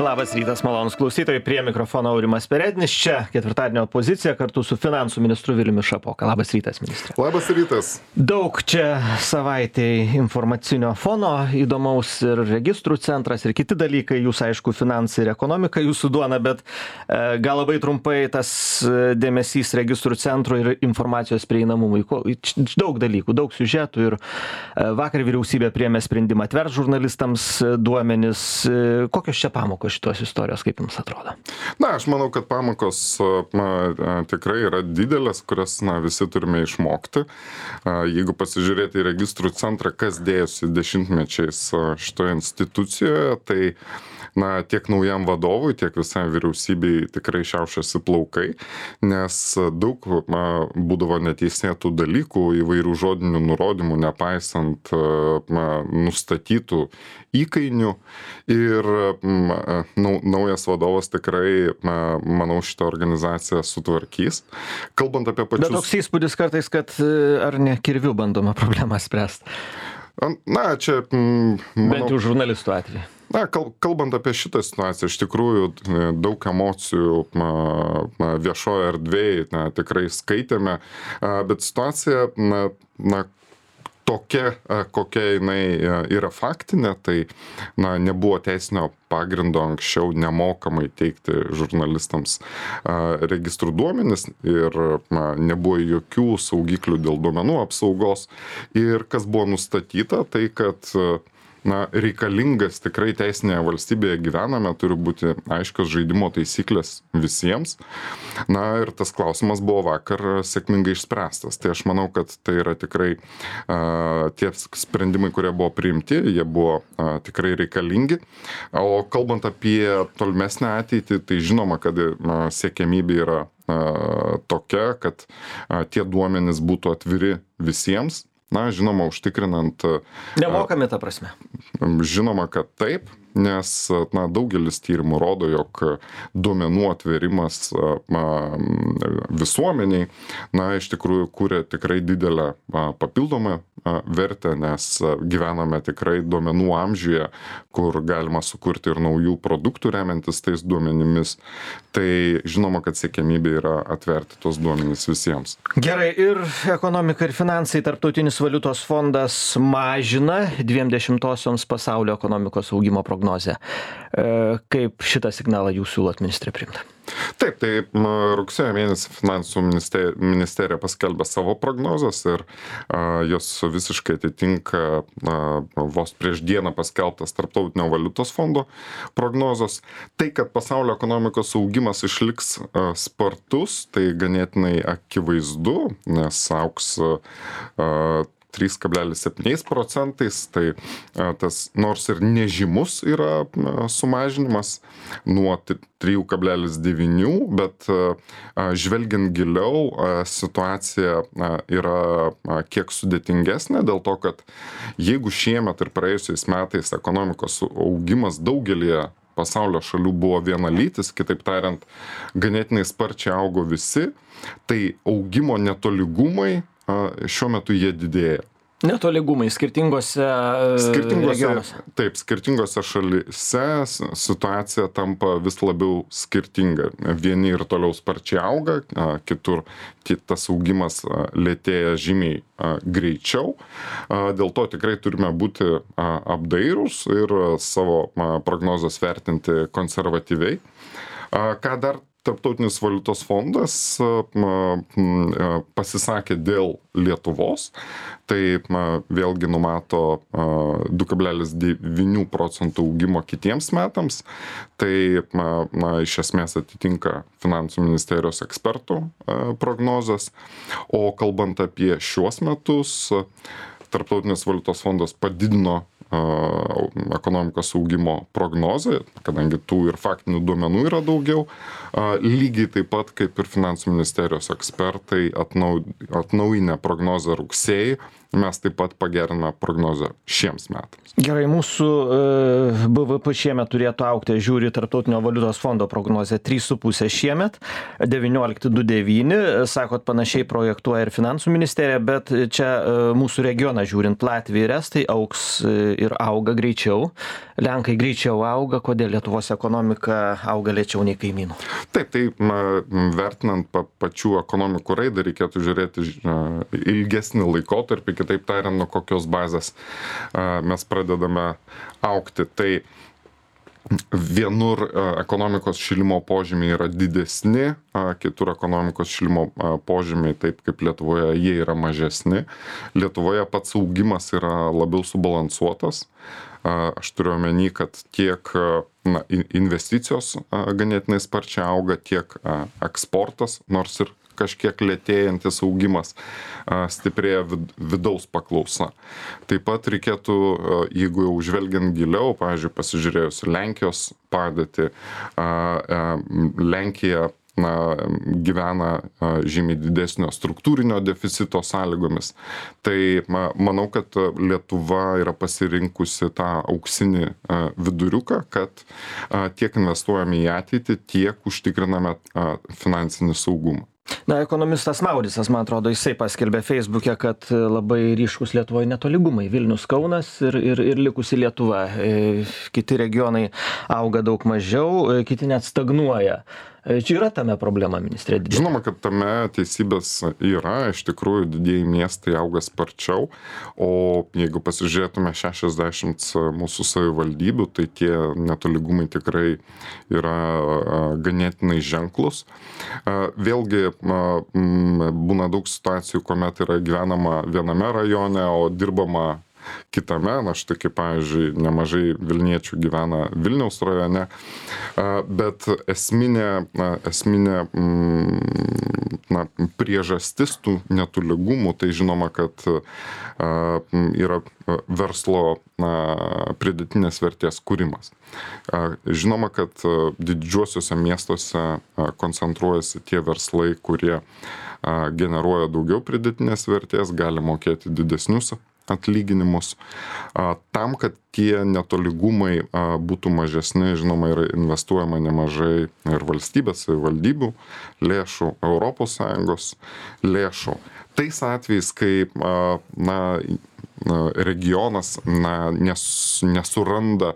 Labas rytas, malonus klausytojai, prie mikrofono Aurimas Perednis, čia ketvirtadienio pozicija kartu su finansų ministru Viliumi Šapoka. Labas rytas, ministrė. Labas rytas. Daug čia savaitėj informacinio fono įdomaus ir registrų centras ir kiti dalykai, jūs aišku, finansai ir ekonomika jūsų duona, bet gal labai trumpai tas dėmesys registrų centro ir informacijos prieinamumui. Daug dalykų, daug siužetų ir vakar vyriausybė priėmė sprendimą atvert žurnalistams duomenis. Kokios čia pamokos šitos istorijos, kaip jums atrodo? Na, aš manau, kad pamokos tikrai yra didelės, kurias visi turime išmokti. Jeigu pasižiūrėti į registrų centrą, kas dėjosi dešimtmečiais šitoje institucijoje, tai tiek naujam vadovui, tiek visai vyriausybei tikrai šiaušiasi plaukai, nes daug būdavo neteisėtų dalykų, įvairių žodinių nurodymų, nepaisant nustatytų įkainių. Ir naujas vadovas tikrai, manau, šitą organizaciją sutvarkys. Kalbant apie pačius... Bet toks įspūdis kartais, kad ar ne kirviu bandoma problemą spręsti? Na, čia... Bent jau žurnalistų atveju. Na, kalbant apie šitą situaciją, iš tikrųjų daug emocijų viešoje erdvėje tikrai skaitėme, bet situacija tokia, kokia jinai yra faktinė, tai nebuvo teisinio pagrindo anksčiau nemokamai teikti žurnalistams registrų duomenis ir nebuvo jokių saugiklių dėl duomenų apsaugos. Ir kas buvo nustatyta, tai kad reikalingas tikrai teisinėje valstybėje gyvename, turi būti aiškios žaidimo taisyklės visiems. Ir tas klausimas buvo vakar sėkmingai išspręstas. Tai aš manau, kad tai yra tikrai tie sprendimai, kurie buvo priimti, jie buvo tikrai reikalingi. O kalbant apie tolimesnę ateitį, tai žinoma, kad siekiamybė yra tokia, kad tie duomenys būtų atviri visiems. Žinoma, užtikrinant... Nemokami ta prasme. Žinoma, kad taip, nes daugelis tyrimų rodo, jog duomenų atverimas visuomeniai, iš tikrųjų kūrė tikrai didelę papildomą vertę, nes gyvename tikrai duomenų amžiuje, kur galima sukurti ir naujų produktų remiantis tais duomenimis. Tai žinoma, kad siekiamybė yra atverti tos duomenys visiems. Gerai, ir ekonomika ir finansai, Tarptautinis valiutos fondas mažina 0,2 pasaulio ekonomikos augimo prognozę. Kaip šitą signalą jūs siūlot, ministrė, priimti? Taip, tai rugsėjo mėnesį finansų ministerija paskelbė savo prognozes ir jos visiškai atitinka vos prieš dieną paskelbtas Tarptautinio valiutos fondo prognozes. Tai, kad pasaulio ekonomikos augimas išliks spartus, tai ganėtinai akivaizdu, nes augs 3,7%, tai tas nors ir nežymus yra sumažinimas nuo 3,9, bet žvelgiant giliau situacija yra kiek sudėtingesnė dėl to, kad jeigu šiemet ir praėjusiais metais ekonomikos augimas daugelį pasaulio šalių buvo vienalytis, kitaip tariant, ganėtinai sparčiai augo visi, tai augimo netolygumai šiuo metu jie didėja. Netolygumai skirtingose regionuose. Taip, skirtingose šalyse situacija tampa vis labiau skirtinga. Vieni ir toliau sparčiai auga, kitur tas augimas lėtėja žymiai greičiau. Dėl to tikrai turime būti apdairūs ir savo prognozes vertinti konservatyviai. Ką dar Tarptautinis valiutos fondas pasisakė dėl Lietuvos, tai vėlgi numato 2,9% augimo kitiems metams, tai iš esmės atitinka finansų ministerijos ekspertų prognozes, o kalbant apie šiuos metus, Tarptautinis valiutos fondas padidino ekonomikos augimo prognozę, kadangi tų ir faktinių duomenų yra daugiau, lygiai taip pat kaip ir finansų ministerijos ekspertai atnaujinę prognozę rugsėjį, mes taip pat pageriname prognozę šiems metams. Gerai, mūsų BVP šiemet turėtų augti, žiūri Tarptautinio valiutos fondo prognozę 3,5 šiemet, 19,29, sakot, panašiai projektuoja ir finansų ministerija, bet čia mūsų regioną žiūrint, Latvija ir Estai augs ir auga greičiau. Lenkai greičiau auga, kodėl Lietuvos ekonomika auga lėčiau nei kaimynų? Taip, tai vertinant pačių ekonomikų raidą reikėtų žiūrėti ilgesnį laikotarpį, kitaip tariant, nuo kokios bazės mes pradedame augti. Tai vienur ekonomikos šilimo požymiai yra didesni, kitur ekonomikos šilimo požymiai, taip kaip Lietuvoje, jie yra mažesni. Lietuvoje pats augimas yra labiau subalansuotas. Aš turiu omeny, kad tiek investicijos ganėtinai sparčiai auga, tiek eksportas, nors ir kažkiek lėtėjantis augimas, stiprėja vidaus paklausa. Taip pat reikėtų, jeigu jau žvelgiant giliau, pavyzdžiui, pasižiūrėjus Lenkijos padėtį, Lenkija gyvena žymiai didesnio struktūrinio deficito sąlygomis. Tai manau, kad Lietuva yra pasirinkusi tą auksinį viduriuką, kad tiek investuojame į ateitį, tiek užtikriname finansinį saugumą. Na, ekonomistas Mauricas, man atrodo, jisai paskelbė Facebook'e, kad labai ryškus Lietuvoje netolygumai. Vilnius, Kaunas ir likusi Lietuva. Kiti regionai auga daug mažiau, kiti net stagnuoja. Čia yra tame problema, ministrė? Žinoma, kad tame teisybės yra, iš tikrųjų didieji miestai auga sparčiau, o jeigu pasižiūrėtume 60 mūsų savivaldybių, tai tie netolygumai tikrai yra ganėtinai ženklus. Vėlgi būna daug situacijų, kuomet yra gyvenama viename rajone, o dirbama kitame, štai kaip, pavyzdžiui, nemažai Vilniečių gyvena Vilniaus rajone, bet esminė priežastis tų netolygumų, tai žinoma, kad yra verslo pridėtinės vertės kūrimas. Žinoma, kad didžiuosiuose miestuose koncentruojasi tie verslai, kurie generuoja daugiau pridėtinės vertės, gali mokėti didesnius atlyginimus. Tam, kad tie netolygumai būtų mažesni, žinoma, yra investuojama nemažai ir valstybės, savivaldybių lėšų, ES lėšų. Tais atvejais, kai regionas nesuranda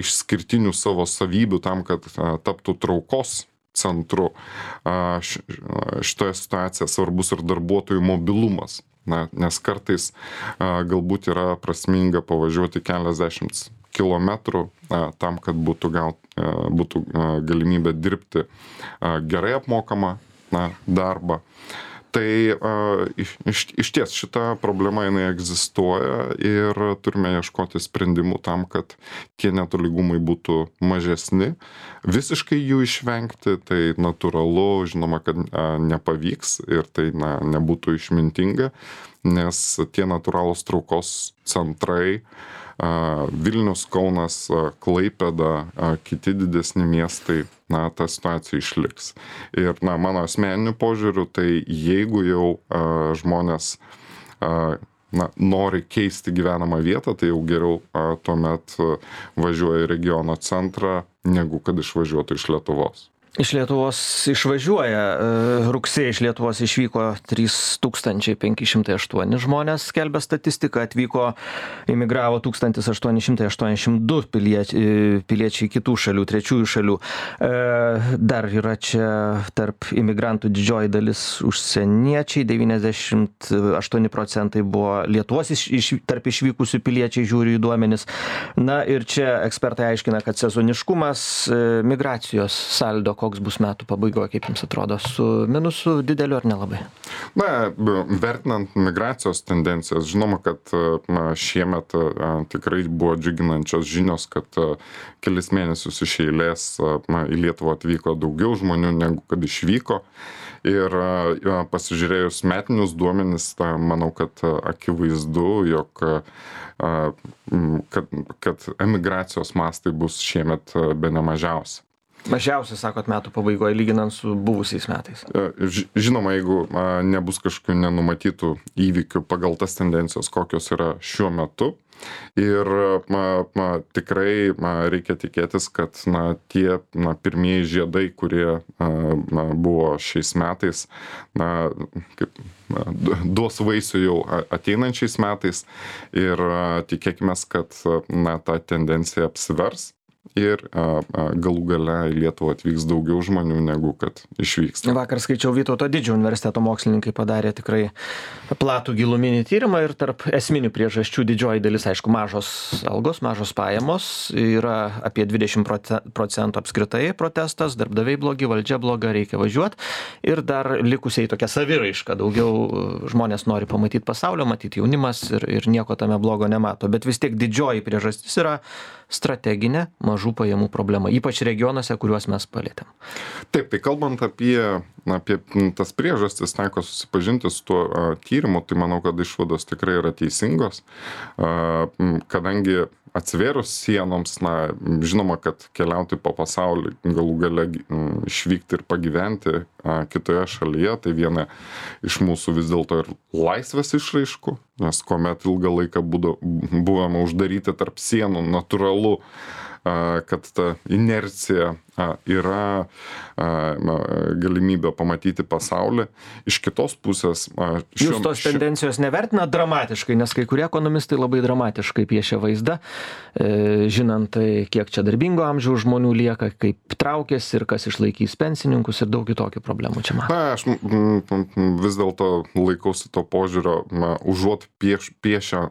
išskirtinių savo savybių tam, kad taptų traukos centru, šitoje situacijoje svarbus ir darbuotojų mobilumas. Nes kartais galbūt yra prasminga pavažiuoti keliasdešimt kilometrų tam, kad būtų galimybė dirbti gerai apmokamą darbą. Tai išties šita problema jinai egzistuoja ir turime ieškoti sprendimų tam, kad tie netolygumai būtų mažesni. Visiškai jų išvengti, tai natūralu, žinoma, kad nepavyks ir tai nebūtų išmintinga, nes tie natūralūs traukos centrai, Vilnius, Kaunas, Klaipėda, kiti didesni miestai, ta situacija išliks. Ir mano asmeniniu požiūriu, tai jeigu jau žmonės nori keisti gyvenamą vietą, tai jau geriau tuomet važiuoja į regiono centrą, negu kad išvažiuotų iš Lietuvos. Iš Lietuvos išvažiuoja. Rugsėjį iš Lietuvos išvyko 3508 žmonės, skelbia statistika, imigravo 1882 piliečiai kitų šalių, trečiųjų šalių. Dar yra čia tarp imigrantų didžioji dalis užsieniečiai, 98% buvo Lietuvos tarp išvykusių piliečiai, žiūri į duomenis. Na ir čia ekspertai aiškina, kad sezoniškumas, migracijos saldo, koks bus metų pabaigoje, kaip jums atrodo, su minusu dideliu ar nelabai? Vertinant migracijos tendencijas, žinoma, kad šiemet tikrai buvo džiuginančios žinios, kad kelis mėnesius iš eilės į Lietuvą atvyko daugiau žmonių negu kad išvyko. Ir pasižiūrėjus metinius duomenis, manau, kad akivaizdu, jog kad emigracijos mastai bus šiemet bene mažiausi. Mažiausiai, sakot, metų pabaigoje, lyginant su buvusiais metais. Žinoma, jeigu nebus kažkokių nenumatytų įvykių pagal tas tendencijos, kokios yra šiuo metu, Ir tikrai reikia tikėtis, kad tie pirmieji žiedai, kurie buvo šiais metais, duos vaisių jau ateinančiais metais ir tikėkime, kad ta tendencija apsivers. Ir galų gale į Lietuvą atvyks daugiau žmonių negu kad išvyksta. Vakar skaičiau, Vytauto Didžiojo universiteto mokslininkai padarė tikrai platų giluminį tyrimą ir tarp esminių priežasčių didžioji dalis, aišku, mažos algos, mažos pajamos, yra apie 20% apskritai protestas, darbdaviai blogi, valdžia bloga, reikia važiuoti ir dar likusiai tokia saviraiška, daugiau žmonės nori pamatyti pasaulio, matyti jaunimas ir nieko tame blogo nemato, bet vis tiek didžioji priežastis yra strateginė mažų pajamų problema, ypač regionuose, kuriuos mes palėtėm. Taip, tai kalbant apie tas priežastis, teko susipažinti su tuo tyrimu, tai manau, kad išvados tikrai yra teisingos, kadangi atsivėrus sienoms, žinoma, kad keliauti po pasaulį, galų gale išvykti ir pagyventi kitoje šalyje, tai viena iš mūsų vis dėlto ir laisvės išraiškų, nes kuomet ilgą laiką buvome uždaryti tarp sienų, natūralu, kad ta inercija yra galimybė pamatyti pasaulį. Iš kitos pusės... Jūs tos tendencijos nevertina dramatiškai, nes kai kurie ekonomistai labai dramatiškai piešia vaizdą, žinant, kiek čia darbingo amžiaus žmonių lieka, kaip traukiasi ir kas išlaikys pensininkus ir daug kitokių problemų čia matau. Aš vis dėlto laikausi to požiūrio, užuot piešę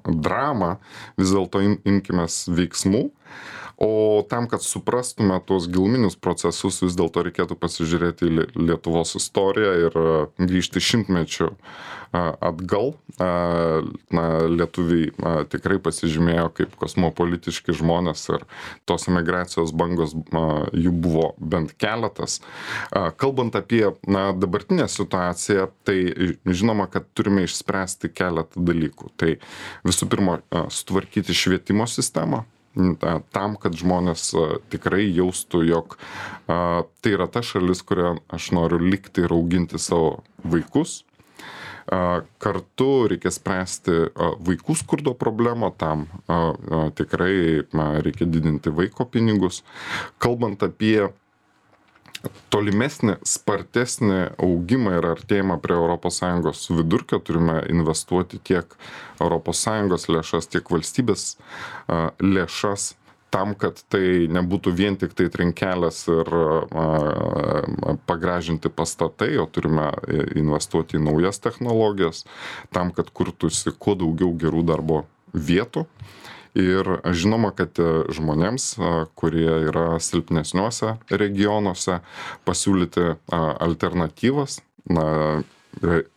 dramą, vis dėlto imkimės veiksmų. O tam, kad suprastume tuos giluminius procesus, vis dėlto reikėtų pasižiūrėti į Lietuvos istoriją ir grįžti šimtmečių atgal. Lietuviai tikrai pasižymėjo kaip kosmopolitiški žmonės ir tos emigracijos bangos jų buvo bent keletas. Kalbant apie dabartinę situaciją, tai žinoma, kad turime išspręsti keletą dalykų. Tai visų pirma, sutvarkyti švietimo sistemą, tam, kad žmonės tikrai jaustų, jog tai yra ta šalis, kurioje aš noriu likti ir auginti savo vaikus. Kartu reikia spręsti vaikų skurdo problemą, tam tikrai reikia didinti vaiko pinigus. Kalbant apie tolimesnį, spartesnį augimą ir artėjimą prie ES vidurkio, turime investuoti tiek ES lėšas, tiek valstybės lėšas tam, kad tai nebūtų vien tik tai trinkelės ir pagražinti pastatai, o turime investuoti į naujas technologijas, tam, kad kurtųsi kuo daugiau gerų darbo vietų. Ir žinoma, kad žmonėms, kurie yra silpnesniuose regionuose, pasiūlyti alternatyvas.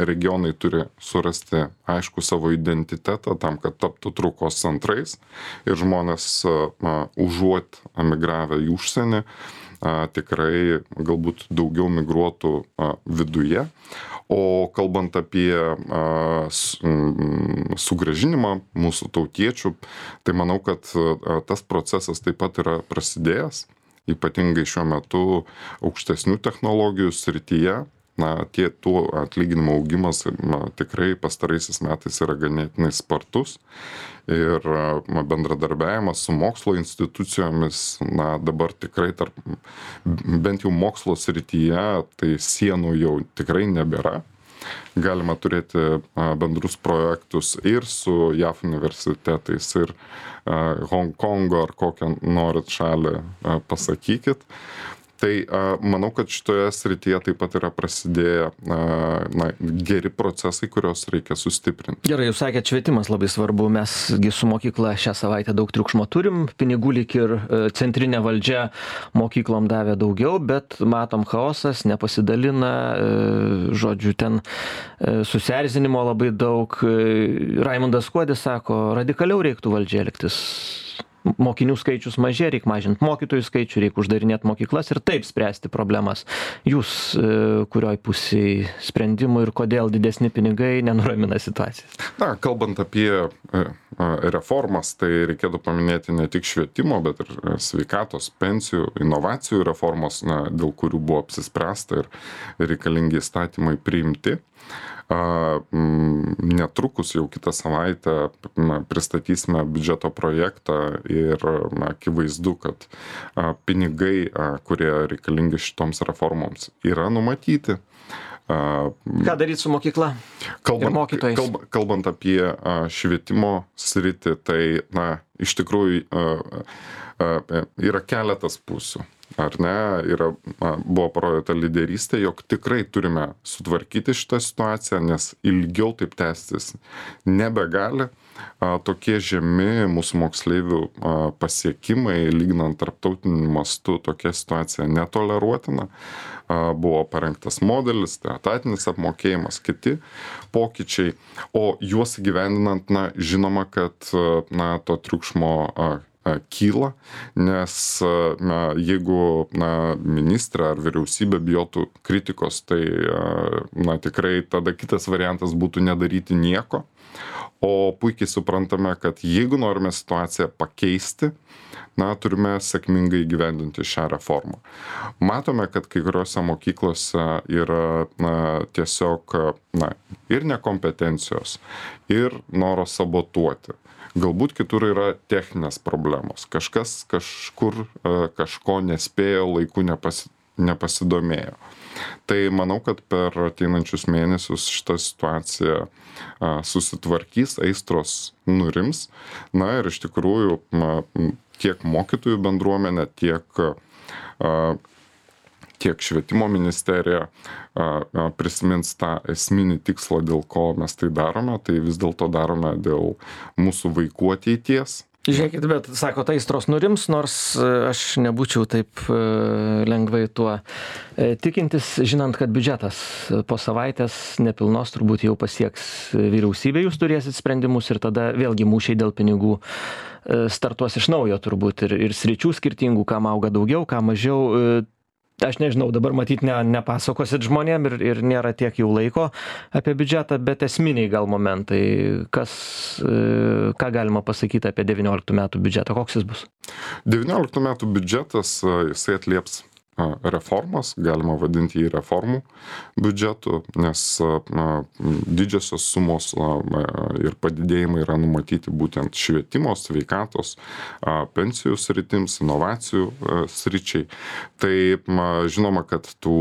Regionai turi surasti aišku savo identitetą tam, kad taptų traukos centrais ir žmonės užuot emigravę į užsienį, tikrai galbūt daugiau migruotų viduje. O kalbant apie sugrąžinimą mūsų tautiečių, tai manau, kad tas procesas taip pat yra prasidėjęs, ypatingai šiuo metu aukštesnių technologijų srityje. Tų atlyginimo augimas tikrai pastaraisiais metais yra ganėtinai spartus ir bendradarbiavimas su mokslo institucijomis, dabar tikrai bent jau mokslo srityje, tai sienų jau tikrai nebėra. Galima turėti bendrus projektus ir su JAF universitetais, ir Hongkongo ar kokią norit šalį pasakykit. Tai manau, kad šitoje srityje taip pat yra prasidėję geri procesai, kuriuos reikia sustiprinti. Gerai, jūs sakėt, švietimas labai svarbu. Mesgi su mokykla šią savaitę daug triukšmo turim. Pinigų lyg ir centrinė valdžia mokyklom davė daugiau, bet matom chaosas, nepasidalina, žodžiu, ten susierzinimo labai daug. Raimundas Kuodis sako, radikaliau reiktų valdžia elgtis. Mokinių skaičius mažėja, reikia mažinti mokytojų skaičių, reikia uždarinėti mokyklas ir taip spręsti problemas. Jūs kurioj pusėj sprendimų ir kodėl didesni pinigai nenuramina situacijos? Kalbant apie reformas, tai reikėtų paminėti ne tik švietimo, bet ir sveikatos, pensijų, inovacijų reformos, dėl kurių buvo apsispręsta ir reikalingi įstatymai priimti. Netrukus jau kitą savaitę pristatysime biudžeto projektą ir akivaizdu, kad pinigai, kurie reikalingi šitoms reformoms, yra numatyti. Ką daryti su mokykla ir mokytojais? Kalbant apie švietimo sritį, tai iš tikrųjų yra keletas pusių. Ar ne, buvo parodyta lyderystė, jog tikrai turime sutvarkyti šitą situaciją, nes ilgiau taip tęstis nebegali. Tokie žemi mūsų moksleivių pasiekimai, lyginant tarptautiniu mastu, tokia situacija netoleruotina. Buvo parengtas modelis, tai etatinis apmokėjimas, kiti pokyčiai, o juos įgyvendinant, žinoma, kad to triukšmo kyla, nes jeigu ministrė ar vyriausybė bijotų kritikos, tai tikrai tada kitas variantas būtų nedaryti nieko. O puikiai suprantame, kad jeigu norime situaciją pakeisti, turime sėkmingai įgyvendinti šią reformą. Matome, kad kai kuriuose mokyklose yra tiesiog ir nekompetencijos, ir noro sabotuoti. Galbūt kitur yra techninės problemos. Kažkas kažkur kažko nespėjo, laiku nepasidomėjo. Tai manau, kad per ateinančius mėnesius šita situacija susitvarkys, aistros nurims. Ir iš tikrųjų tiek mokytojų bendruomenė, tiek švietimo ministerija prisimins tą esminį tikslą, dėl ko mes tai darome, tai vis dėlto darome dėl mūsų vaikų ateities. Žiūrėkit, bet sako, aistros nurims, nors aš nebūčiau taip lengvai tuo tikintis, žinant, kad biudžetas po savaitės nepilnos turbūt jau pasieks vyriausybė, jūs turėsit sprendimus ir tada vėlgi mūšiai dėl pinigų startuos iš naujo turbūt ir sričių skirtingų, kam auga daugiau, kam mažiau. Aš nežinau, dabar matyt nepasakosit žmonėm ir nėra tiek jau laiko apie biudžetą, bet esminiai gal momentai, ką galima pasakyti apie 19 metų biudžetą, koks jis bus? 19 metų biudžetas, jisai atlieps reformas, galima vadinti jį reformų biudžetu, nes didžiosios sumos ir padidėjimai yra numatyti būtent švietimo, sveikatos, pensijų sritims, inovacijų sričiai. Tai žinoma, kad tų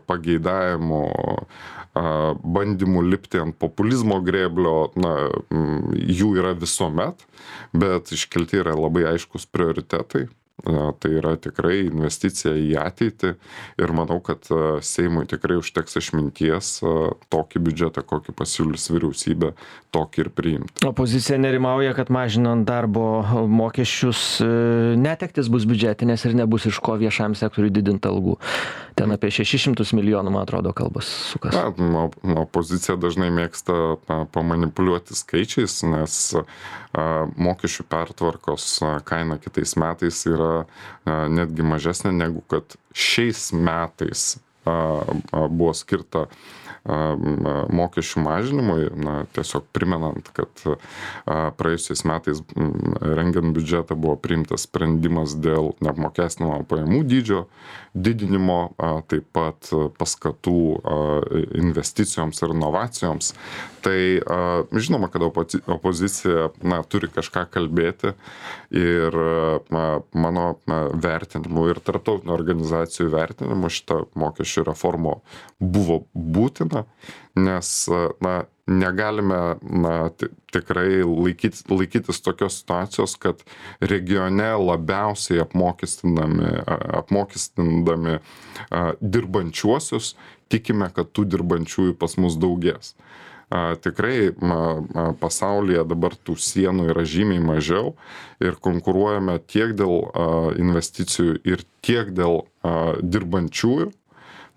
pageidavimų, bandymų lipti ant populizmo grėblio, jų yra visuomet, bet iškelti yra labai aiškus prioritetai. Tai yra tikrai investicija į ateitį ir manau, kad Seimui tikrai užteks išminties tokį biudžetą, kokį pasiūlys vyriausybė, tokį ir priimti. Opozicija nerimauja, kad mažinant darbo mokesčius netektis bus biudžetinės ir nebus iš ko viešam sektoriui didinti algų. Ten apie 600 milijonų, man atrodo, kalbas sukas. Opozicija dažnai mėgsta pamanipuliuoti skaičiais, nes mokesčių pertvarkos kaina kitais metais yra netgi mažesnė negu kad šiais metais buvo skirta mokesčių mažinimui, tiesiog primenant, kad praėjusiais metais rengiant biudžetą buvo priimtas sprendimas dėl neapmokestinamo pajamų dydžio didinimo, taip pat paskatų investicijoms ir inovacijoms. Tai žinoma, kad opozicija turi kažką kalbėti ir mano vertinimu ir tarptautinių organizacijų vertinimu šita mokesčių reforma buvo būtina, nes negalime tikrai laikytis tokios situacijos, kad regione labiausiai apmokestindami dirbančiuosius, tikime, kad tų dirbančiųjų pas mus daugės. Tikrai pasaulyje dabar tų sienų yra žymiai mažiau ir konkuruojame tiek dėl investicijų ir tiek dėl dirbančiųjų.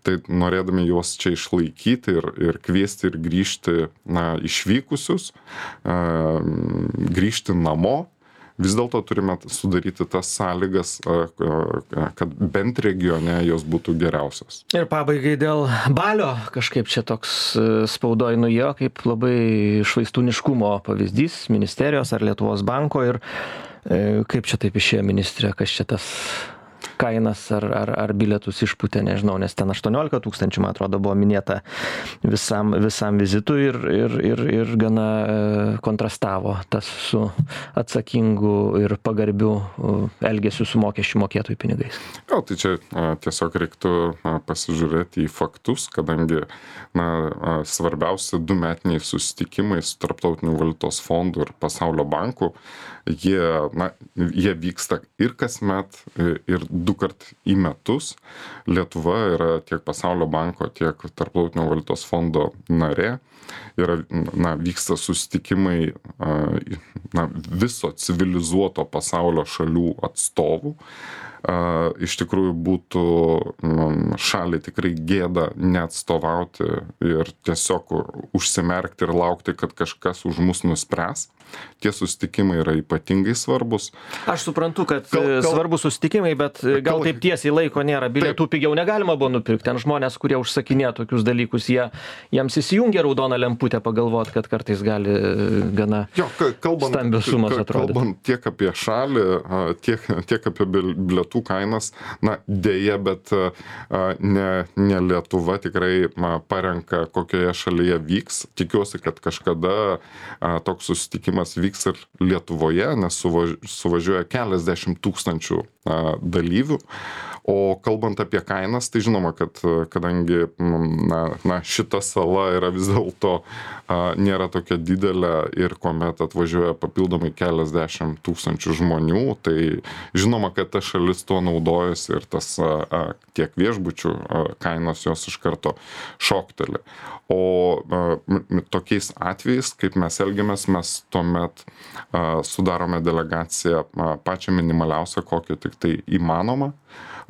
Tai norėdami juos čia išlaikyti ir kviesti ir grįžti išvykusius, grįžti namo, vis dėlto turime sudaryti tas sąlygas, kad bent regione jos būtų geriausios. Ir pabaigai dėl balio, kažkaip čia toks spaudoj nuėjo, kaip labai švaistūniškumo pavyzdys ministerijos ar Lietuvos banko ir kaip čia taip išėjo ministrė, kas čia tas... kainas ar bilietus išpūtė, nežinau, nes ten 18 000, man atrodo, buvo minėta visam vizitui ir gana kontrastavo tas su atsakingu ir pagarbiu elgesiu su mokesčių mokėtojų pinigais. Jo, tai čia tiesiog reiktų pasižiūrėti į faktus, kadangi svarbiausi 2 metiniai susitikimai su Tarptautiniu valiutos fondu ir Pasaulio banku, jie vyksta ir kasmet, ir 2 kart į metus. Lietuva yra tiek Pasaulio banko, tiek Tarptautinio valiutos fondo narė. Vyksta susitikimai viso civilizuoto pasaulio šalių atstovų. Iš tikrųjų būtų šaliai tikrai gėda neatstovauti ir tiesiog užsimerkti ir laukti, kad kažkas už mus nuspręs. Tie susitikimai yra ypatingai svarbus. Aš suprantu, kad svarbus susitikimai, bet gal taip tiesiai laiko nėra. Bilietų pigiau negalima buvo nupirkti. Ten žmonės, kurie užsakinėja tokius dalykus, jiems įsijungia raudona lemputė pagalvot, kad kartais gali gana stambios sumos atrodyti. Kalbant tiek apie šalį, tiek apie bilietų kainas, dėja, bet ne Lietuva tikrai parenka, kokioje šalyje vyks. Tikiuosi, kad kažkada toks susitikimas vyks ir Lietuvoje, nes suvažiuoja keliasdešimt tūkstančių dalyvių. O kalbant apie kainas, tai žinoma, kad kadangi šita sala yra vis dėlto nėra tokia didelė ir kuomet atvažiuoja papildomai keliasdešimt tūkstančių žmonių, tai žinoma, kad ta šalis tuo naudojasi ir tas tiek viešbučių kainos jos iš karto šokteli. O tokiais atvejais, kaip mes elgiamės, mes tuomet sudarome delegaciją pačią minimaliausią, kokią tik tai įmanoma.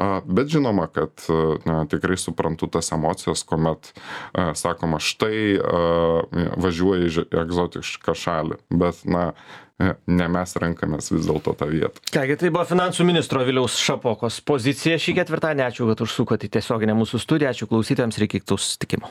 Bet žinoma, kad tikrai suprantu tas emocijas, kuomet sakoma, štai važiuoja į egzotišką šalį, bet ne mes renkamės vis dėlto tą vietą. Kągi, tai buvo finansų ministro Viliaus Šapokos pozicija šį ketvirtadienį. Ačiū, kad užsukote į tiesioginę mūsų studiją. Ačiū klausytojams ir iki kitų susitikimų.